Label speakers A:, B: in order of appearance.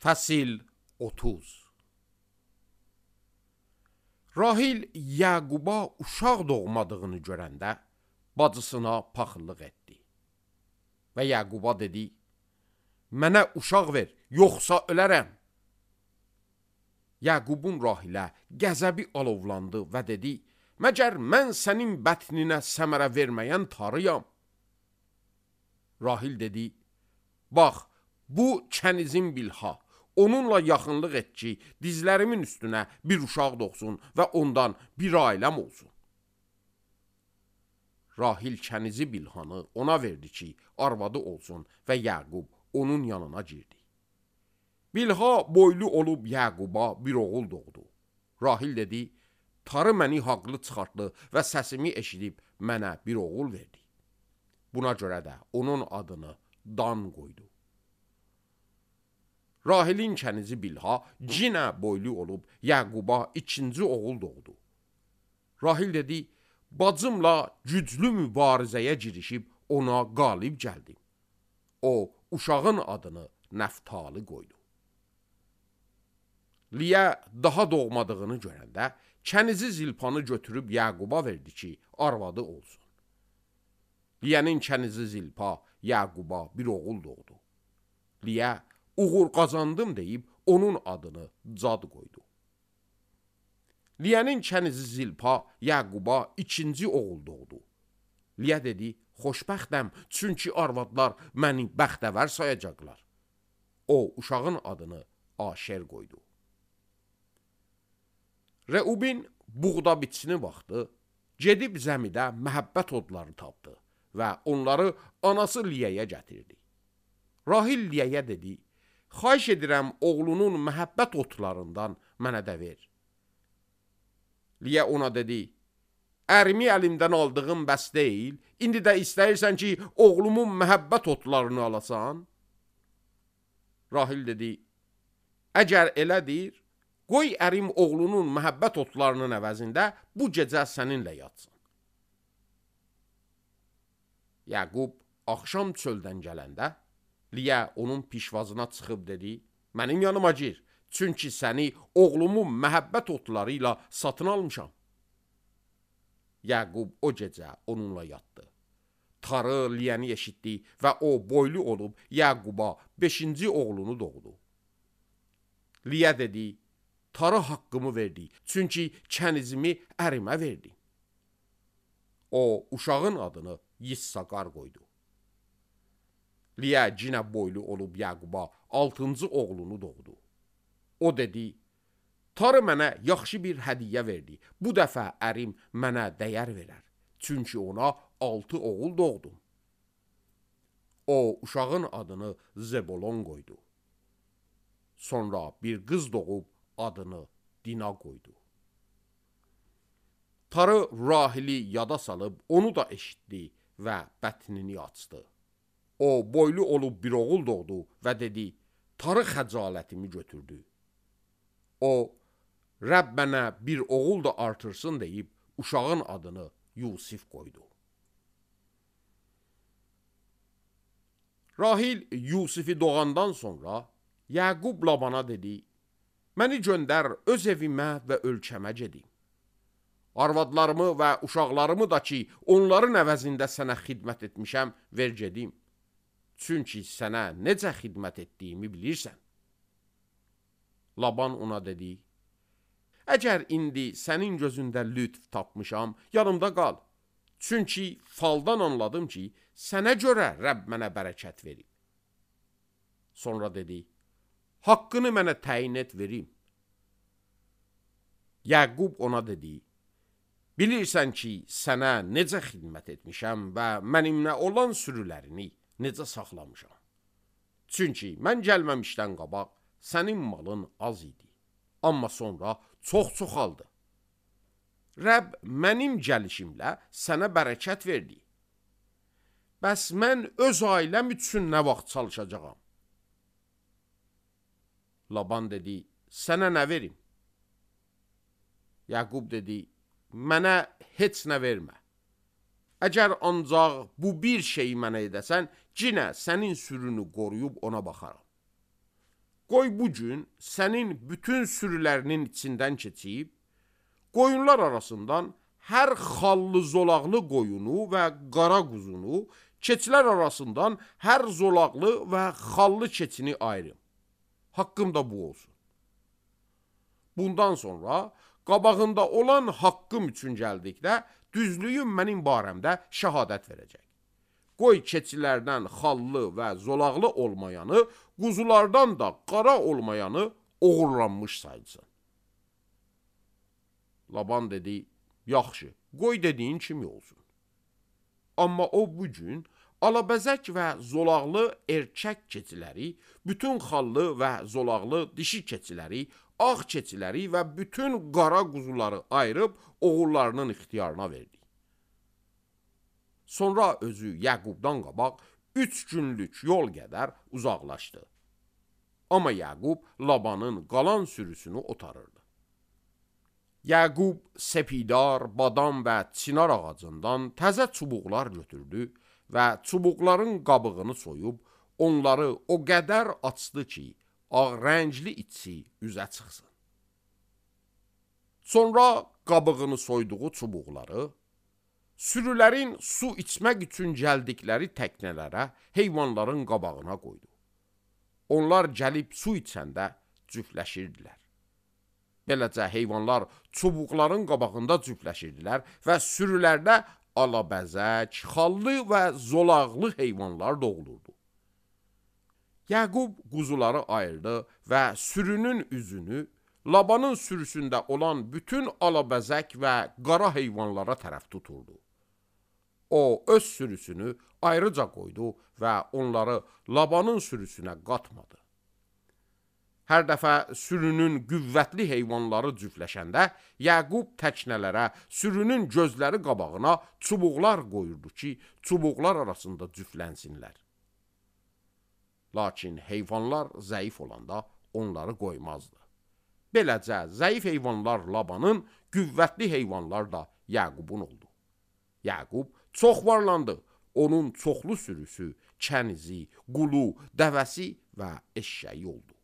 A: Fəsil 30. Rahil Yaquba uşaq doğmadığını görəndə bacısına paxıllıq etdi. Və Yaquba dedi, mənə uşaq ver, yoxsa ölərəm. Yaqubun Rahilə qəzəbi alovlandı və dedi, məgər mən sənin bətninə səmərə verməyən tarıyam. Rahil dedi, bax, bu kənizin Bilha, onunla yaxınlıq et ki, dizlərimin üstünə bir uşaq doğsun və ondan bir ailəm olsun. Rahil kənizi Bilhanı ona verdi ki, arvadı olsun və Yaqub onun yanına girdi. Bilha boylu olub Yaquba bir oğul doğdu. Rahil dedi, tarı məni haqlı çıxartdı və səsimi eşidib mənə bir oğul verdi. Buna görə də onun adını Dan qoydu. Rahilin kənizi Bilha cinə boylu olub Yaquba ikinci oğul doğdu. Rahil dedi, bacımla güclü mübarizəyə girişib ona qalib gəldim. O, uşağın adını Nəftali qoydu. Liyə daha doğmadığını görəndə kənizi Zilpanı götürüb Yaquba verdi ki, arvadı olsun. Liyənin kənizi Zilpa Yaquba bir oğul doğdu. Liyə, uğur qazandım deyib onun adını Cad qoydu. Liyənin kənizi Zilpa Yaquba ikinci oğul doğdu. Liyə dedi, xoşbəxtəm, çünki arvadlar məni bəxtəvər sayacaqlar. O, uşağın adını Aşer qoydu. Reubin buğda biçini baxdı, gedib zəmidə məhəbbət odları tapdı və onları anası Liyəyə gətirdi. Rahil Liyəyə dedi, xahiş edirəm oğlunun məhəbbət otlarından mənə də ver. Liyə ona dedi, ərimi əlimdən aldığım bəs deyil, indi də istəyirsən ki, oğlumun məhəbbət otlarını alasan? Rahil dedi, əgər elədir, qoy ərim oğlunun məhəbbət otlarının əvəzində bu gecə səninlə yatsın. Yaqub axşam çöldən gələndə, Liyə onun pişvazına çıxıb dedi, mənim yanıma gir, çünki səni oğlumun məhəbbət otları ilə satın almışam. Yaqub o gecə onunla yatdı. Tarı Liyəni eşitdi və o boylu olub Yaquba 5-ci oğlunu doğdu. Liyə dedi, tarı haqqımı verdi, çünki kənizimi ərimə verdi. O, uşağın adını Yissaqar qoydu. Liyə cinə boylu olub Yaquba 6-cı oğlunu doğdu. O dedi, tarı mənə yaxşı bir hədiyyə verdi, bu dəfə ərim mənə dəyər verər, çünki ona 6 oğul doğdum. O, uşağın adını Zebolon qoydu. Sonra bir qız doğub adını Dina qoydu. Tarı Rahili yada salıb onu da eşitdi və bətnini açdı. O, boylu olub bir oğul doğdu və dedi, tarı xəcalətimi götürdü. O, Rəbb mənə bir oğul da artırsın deyib, uşağın adını Yusif qoydu. Rahil Yusifi doğandan sonra Yaqub Labana dedi, məni göndər öz evimə və ölkəmə gedim. Arvadlarımı və uşaqlarımı da ki, onların əvəzində sənə xidmət etmişəm, ver gedim. Çünki sənə necə xidmət etdiyimi bilirsən. Laban ona dedi, əgər indi sənin gözündə lütf tapmışam, yanımda qal. Çünki faldan anladım ki, sənə görə Rəbb mənə bərəkət verib. Sonra dedi, haqqını mənə təyin et verim. Yaqub ona dedi, bilirsən ki, sənə necə xidmət etmişəm və mənimlə olan sürülərini necə saxlamışam. Çünki mən gəlməmişdən qabaq sənin malın az idi, amma sonra çox çoxaldı. Rəbb mənim gəlişimlə sənə bərəkət verdi. Bəs mən öz ailəm üçün nə vaxt çalışacağam? Laban dedi, sənə nə verim? Yaqub dedi, mənə heç nə vermə. Əgər ancaq bu bir şeyi mənə edəsən, cinə sənin sürünü qoruyub ona baxaram. qoy bu gün sənin bütün sürülərinin içindən keçib, qoyunlar arasından hər xallı zolaqlı qoyunu və qara quzunu, keçilər arasından hər zolaqlı və xallı keçini ayırım. Haqqım da bu olsun. Bundan sonra qabağında olan haqqım üçün gəldikdə, düzlüyüm mənim barəmdə şəhadət verəcək. Qoy keçilərdən xallı və zolaqlı olmayanı, quzulardan da qara olmayanı oğurlanmış sayılsın. Laban dedi, yaxşı, qoy dediyin kimi olsun. Amma o bu gün alabəzək və zolaqlı erkək keçiləri, bütün xallı və zolaqlı dişi keçiləri, ağ keçiləri və bütün qara quzuları ayırıb oğullarının ixtiyarına verdi. Sonra özü Yaqubdan qabaq 3 günlük yol qədər uzaqlaşdı. Amma Yaqub Labanın qalan sürüsünü otarırdı. Yaqub sepidar, badam və çinar ağacından təzə çubuqlar götürdü və çubuqların qabığını soyub, onları o qədər açdı ki, ağ rəngli içi üzə çıxsın. Sonra qabığını soyduğu çubuqları, sürülərin su içmək üçün gəldikləri təknələrə, heyvanların qabağına qoydu. Onlar gəlib su içəndə cüfləşirdilər. Beləcə heyvanlar çubuqların qabağında cüfləşirdilər və sürülərdə alabəzək, xallı və zolaqlı heyvanlar doğulurdu. Yaqub quzuları ayırdı və sürünün üzünü Labanın sürüsündə olan bütün alabəzək və qara heyvanlara tərəf tuturdu. O öz sürüsünü ayrıca qoydu və onları Labanın sürüsünə qatmadı. Hər dəfə sürünün qüvvətli heyvanları cüfləşəndə, Yaqub təknələrə sürünün gözləri qabağına çubuqlar qoyurdu ki, çubuqlar arasında cüflənsinlər. Lakin heyvanlar zəif olanda onları qoymazdı. Beləcə, zəif heyvanlar Labanın, qüvvətli heyvanlar da Yaqubun oldu. Yaqub çox varlandı. Onun çoxlu sürüsü, kənizi, qulu, dəvəsi və eşşəyi oldu.